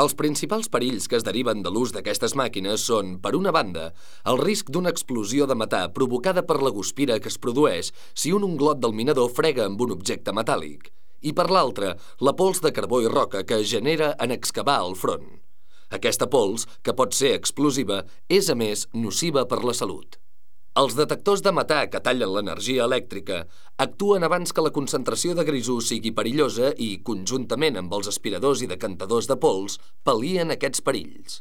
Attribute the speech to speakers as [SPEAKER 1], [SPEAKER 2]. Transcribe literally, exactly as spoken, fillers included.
[SPEAKER 1] Els principals perills que es deriven de l'ús d'aquestes màquines són, per una banda, el risc d'una explosió de metà provocada per la guspira que es produeix si un unglot del minador frega amb un objecte metàl·lic, i per l'altra, la pols de carbó i roca que es genera en excavar el front. Aquesta pols, que pot ser explosiva, és a més nociva per la salut. Els detectors de metà que tallen l'energia elèctrica actuen abans que la concentració de grisú sigui perillosa i, conjuntament amb els aspiradors i decantadors de pols, pal·lien aquests perills.